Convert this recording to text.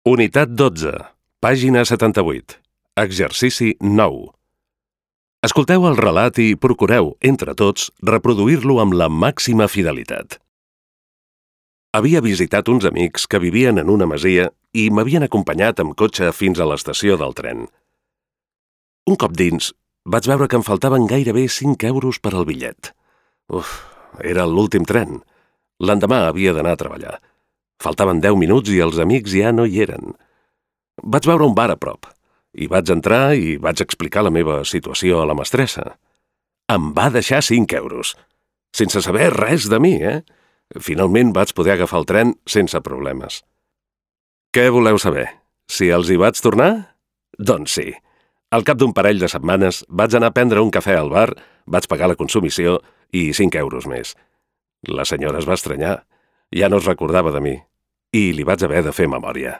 Unitat 12, pàgina 78. Exercici 9. Escolteu el relat i procureu, entre tots, reproduir-lo amb la màxima fidelitat. Havia visitat uns amics que vivien en una masia i m'havien acompanyat amb cotxe fins a l'estació del tren. Un cop dins, vaig veure que em faltaven gairebé 5 euros per al bitllet. Era l'últim tren. L'endemà havia d'anar a treballar. Faltaven 10 minuts i els amics ja no hi eren. Vaig veure un bar a prop. Hi vaig entrar i vaig explicar la meva situació a la mestressa. Em va deixar 5 euros. Sense saber res de mi, Finalment vaig poder agafar el tren sense problemes. Què voleu saber? Si els hi vaig tornar? Doncs sí. Al cap d'un parell de setmanes vaig anar a prendre un cafè al bar, vaig pagar la consumició i 5 euros més. La senyora es va estranyar. Ja no es recordava de mi i li vaig haver de fer memòria.